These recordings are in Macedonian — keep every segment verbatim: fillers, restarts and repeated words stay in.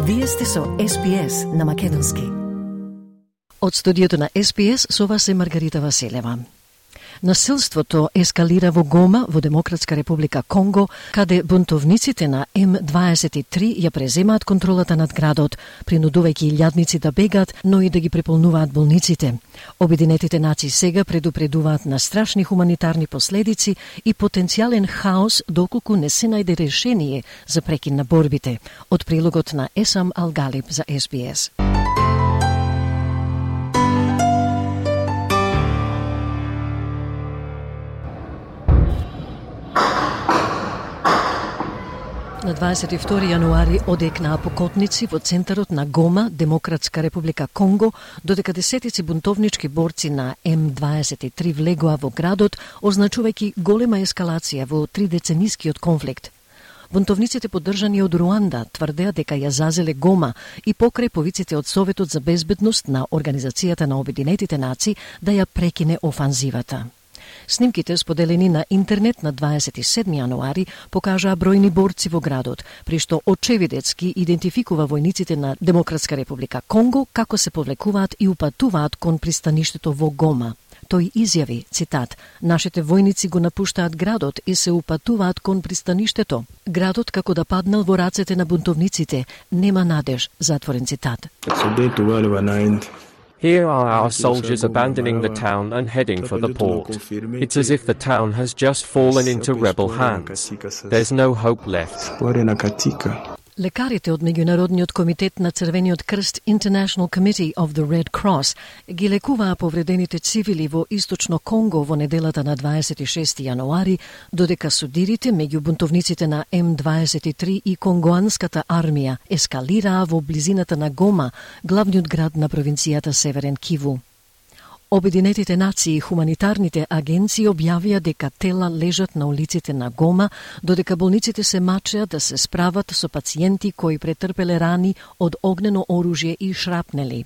Вие сте со Ес Би Ес на македонски. Од студиото на Ес Би Ес со вас е Маргарита Василева. Насилството ескалира во Гома, во Демократска република Конго, каде бунтовниците на Ем дваесет и три ја преземаат контролата над градот, принудувајќи илјадници да бегат, но и да ги преполнуваат болниците. Обединетите нации сега предупредуваат на страшни хуманитарни последици и потенцијален хаос доколку не се најде решение за прекин на борбите. Од прилогот на Есам Алгалиб за Ес Би Ес. На дваесет и втори јануари одекнаа покотници во центарот на Гома, Демократска република Конго, додека десетици бунтовнички борци на Ем дваесет и три влегоа во градот, означувајќи голема ескалација во тридеценискиот конфликт. Бунтовниците поддржани од Руанда тврдеа дека ја зазеле Гома и покрај повиците од Советот за безбедност на Организацијата на Обединетите нации да ја прекине офанзивата. Снимките, споделени на интернет на дваесет и седми јануари, покажаа бројни борци во градот, при што очевидецки идентификува војниците на Демократска република Конго како се повлекуваат и упатуваат кон пристаништето во Гома. Тој изјави, цитат, "Нашите војници го напуштаат градот и се упатуваат кон пристаништето. Градот како да паднал во рацете на бунтовниците, нема надеж", затворен цитат. Here are our soldiers abandoning the town and heading for the port. It's as if the town has just fallen into rebel hands. There's no hope left. Лекарите од Меѓународниот комитет на Црвениот крст International Committee of the Red Cross ги лекуваа повредените цивили во Источно Конго во неделата на дваесет и шести јануари, додека судирите меѓу бунтовниците на Ем дваесет и три и конгоанската армија ескалираа во близината на Гома, главниот град на провинцијата Северен Киву. Обединетите нации и хуманитарните агенции објавија дека тела лежат на улиците на Гома, додека болниците се мачеат да се справат со пациенти кои претрпеле рани од огнено оружје и шрапнели.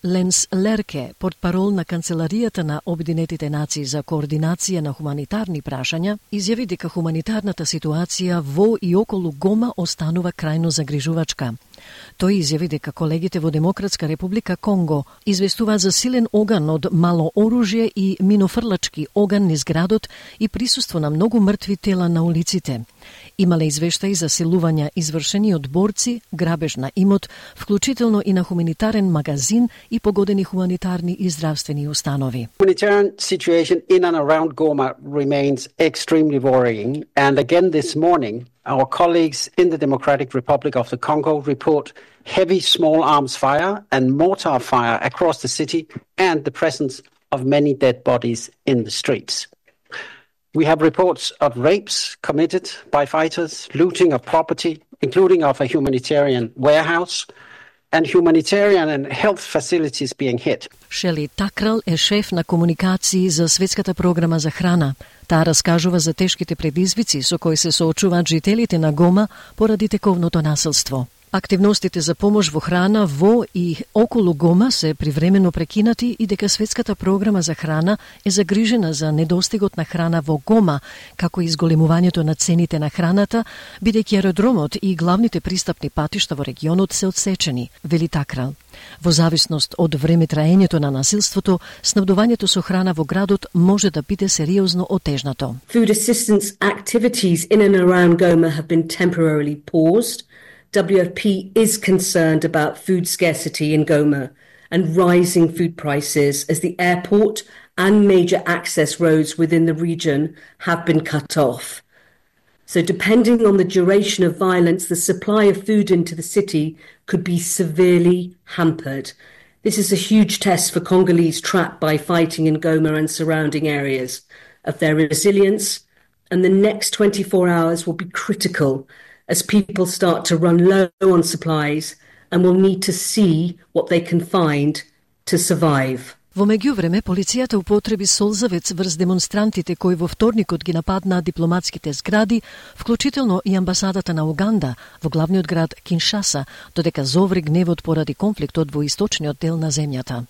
Ленс Лерке, портпарол на Канцеларијата на Обединетите нации за координација на хуманитарни прашања, изјави дека хуманитарната ситуација во и околу Гома останува крајно загрижувачка. Тој изјави дека колегите во Демократска република Конго известуваат за силен оган од мало оружје и минофрлачки оган низ градот и присуство на многу мртви тела на улиците. Имале извештаи за силувања извршени од борци, грабеж на имот, вклучително и на хуманитарен магазин и погодени хуманитарни и здравствени установи. Humanitarian situation in and around Goma remains extremely worrying, and again this morning our colleagues in the Democratic Republic of the Congo report heavy small arms fire and mortar fire across the city and the presence of many dead bodies in the streets. We have reports of rapes committed by fighters, looting of property, including of a humanitarian warehouse, and humanitarian and health facilities being hit. Шели Такрал е шеф на комуникации за Светската програма за храна. Таа раскажува за тешките предизвици со кои се соочуваат жителите на Гома поради тековното насилство. Активностите за помош во храна во и околу Гома се привремено прекинати и дека Светската програма за храна е загрижена за недостигот на храна во Гома, како и изголемувањето на цените на храната, бидејќи аеродромот и главните пристапни патишта во регионот се одсечени, вели Такрал. Во зависност од време траењето на насилството, снабдувањето со храна во градот може да биде сериозно отежнато. Food assistance activities in and around Goma have been temporarily paused. W F P is concerned about food scarcity in Goma and rising food prices as the airport and major access roads within the region have been cut off. So depending on the duration of violence, the supply of food into the city could be severely hampered. This is a huge test for Congolese trapped by fighting in Goma and surrounding areas of their resilience, and the next twenty-four hours will be critical as people start to run low on supplies and will need to see what they can find to survive. Во меѓувреме, полицијата употреби солзавец врз демонстрантите кои во вторникот ги нападнаа дипломатските згради, вклучително и амбасадата на Уганда во главниот град Киншаса, додека зоври гневот поради конфликтот во источниот дел на земјата.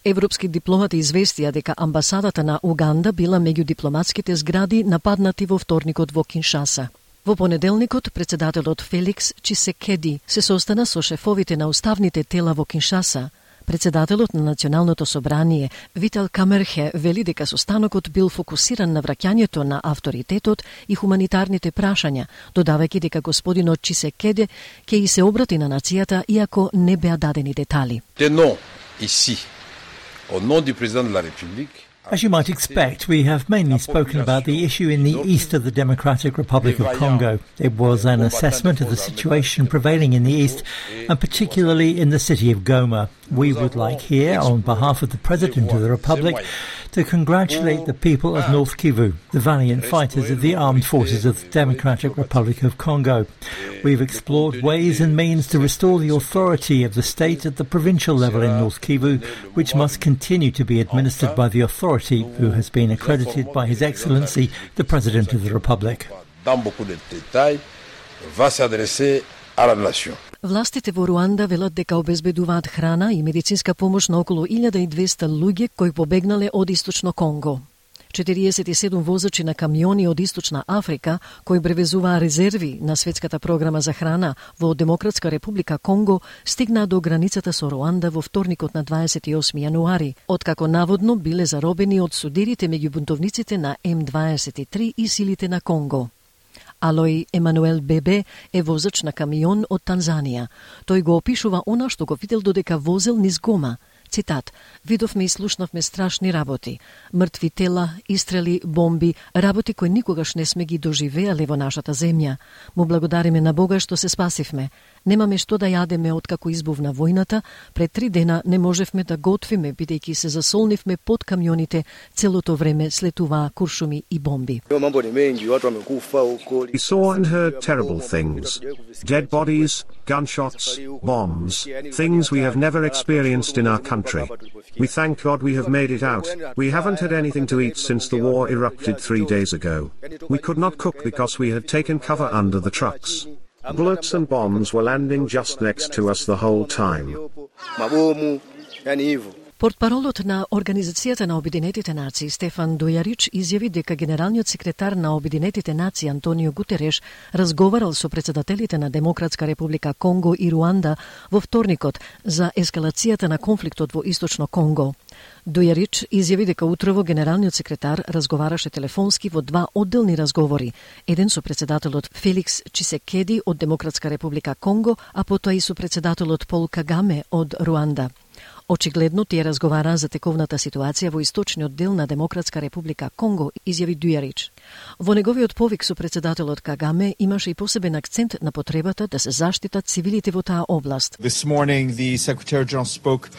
Европски дипломати известија дека амбасадата на Уганда била меѓу дипломатските згради нападнати во вторникот во Киншаса. Во понеделникот, председателот Феликс Чисекеди се состана со шефовите на уставните тела во Киншаса. Председателот на Националното собрание Витал Камерхе вели дека состанокот бил фокусиран на враќањето на авторитетот и хуманитарните прашања, додавајќи дека господинот Чисекеди ќе и се обрати на нацијата иако не беа дадени детали. Ici, au nom du président de la République. As you might expect, we have mainly spoken about the issue in the east of the Democratic Republic of Congo. It was an assessment of the situation prevailing in the east, and particularly in the city of Goma. We would like here, on behalf of the President of the Republic, to congratulate the people of North Kivu, the valiant fighters of the armed forces of the Democratic Republic of Congo. We've explored ways and means to restore the authority of the state at the provincial level in North Kivu, which must continue to be administered by the authority who has been accredited by His Excellency, the President of the Republic. Властите во Руанда велат дека обезбедуваат храна и медицинска помош на околу илјада и двесте луѓе кои побегнале од Источно Конго. четириесет и седум возачи на камиони од Источна Африка, кои превезуваа резерви на светската програма за храна во Демократска република Конго, стигнаа до границата со Руанда во вторникот на дваесет и осми јануари, откако наводно биле заробени од судирите меѓу бунтовниците на М дваесет и три и силите на Конго. Алој Емануел Бебе е возач на камион од Танзанија. Тој го опишува она што го видел додека возел низ Гома. Цитат: "Видовме и слушнавме страшни работи. Мртви тела, истрели, бомби, работи кои никогаш не сме ги доживеале во нашата земја. Му благодариме на Бога што се спасивме. Немаме што да јадеме откако избувна војната, пред три дена не можевме да готвиме бидејќи се засолнивме под камионите целото време слетуваа куршуми и бомби." We saw and heard terrible things. Dead bodies, gunshots, bombs, things we have never experienced in our country. We thank God we have made it out. We haven't had anything to eat since the war erupted three days ago. We could not cook because we had taken cover under the trucks. Bullets and bombs were landing just next to us the whole time. Портпаролот на Организацијата на Обединетите нации Стефан Дујарич изјави дека генералниот секретар на Обединетите нации Антонио Гутереш разговарал со председателите на Демократска република Конго и Руанда во вторникот за ескалацијата на конфликтот во Источно Конго. Дујарич изјави дека утрово генералниот секретар разговараше телефонски во два одделни разговори, еден со председателот Феликс Чисекеди од Демократска република Конго, а потоа и со председателот Пол Кагаме од Руанда. Очигледно тие разговараа за тековната ситуација во источниот дел на Демократска република Конго, изјави Дујарич. Во неговиот повик со председателот Кагаме имаше и посебен акцент на потребата да се заштитат цивилите во таа област. This morning the Secretary General spoke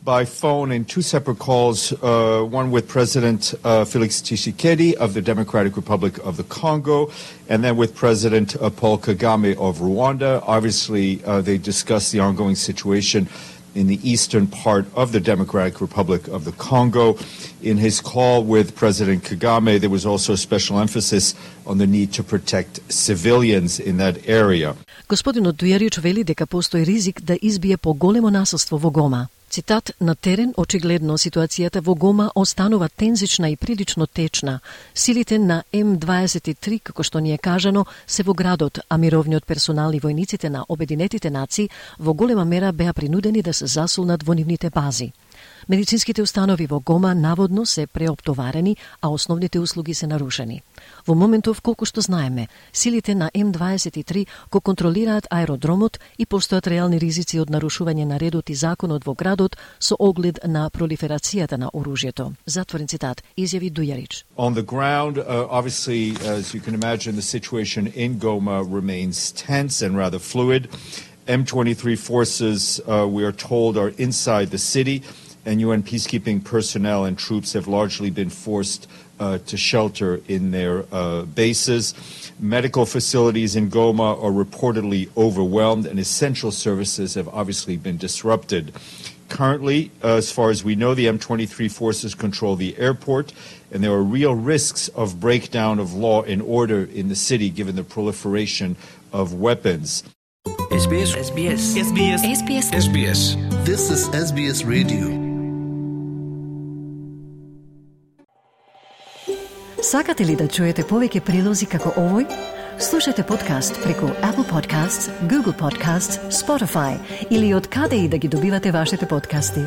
by phone in two separate calls, uh, one with President uh, Felix Tshisekedi of the Democratic Republic of the Congo, and then with President uh, Paul Kagame of Rwanda. Obviously, uh, they discussed the ongoing situation in the eastern part of the Democratic Republic of the Congo. In his call with President Kagame, there was also a special emphasis on the need to protect civilians in that area. Господинот Дујарич вели дека постои ризик да избие поголемо насилство во Гома. Цитат: "На терен очигледно ситуацијата во Гома останува тензична и прилично течна. Силите на М дваесет и три, како што ни е кажано, се во градот, а мировниот персонал и војниците на Обединетите нации во голема мера беа принудени да се засолнат во нивните бази. Медицинските установи во Гома наводно се преоптоварени, а основните услуги се нарушени. Во моментов, колку што знаеме, силите на М дваесет и три го контролираат аеродромот и постојат реални ризици од нарушување на редот и законот во градот со оглед на пролиферацијата на оружјето." Затворен цитат, изјави Дујарич. On the ground, uh, obviously, as you can imagine, the situation in Goma remains tense and rather fluid. M twenty-three forces, uh, we are told, are inside the city, and U N peacekeeping personnel and troops have largely been forced uh, to shelter in their uh, bases. Medical facilities in Goma are reportedly overwhelmed, and essential services have obviously been disrupted. Currently, uh, as far as we know, the M twenty-three forces control the airport, and there are real risks of breakdown of law and order in the city given the proliferation of weapons. S B S. S B S. S B S. S B S. S B S. This is S B S Radio. Сакате ли да чуете повеќе прилози како овој? Слушате подкаст преку Apple Podcasts, Google Podcasts, Spotify или од каде и да ги добивате вашите подкасти.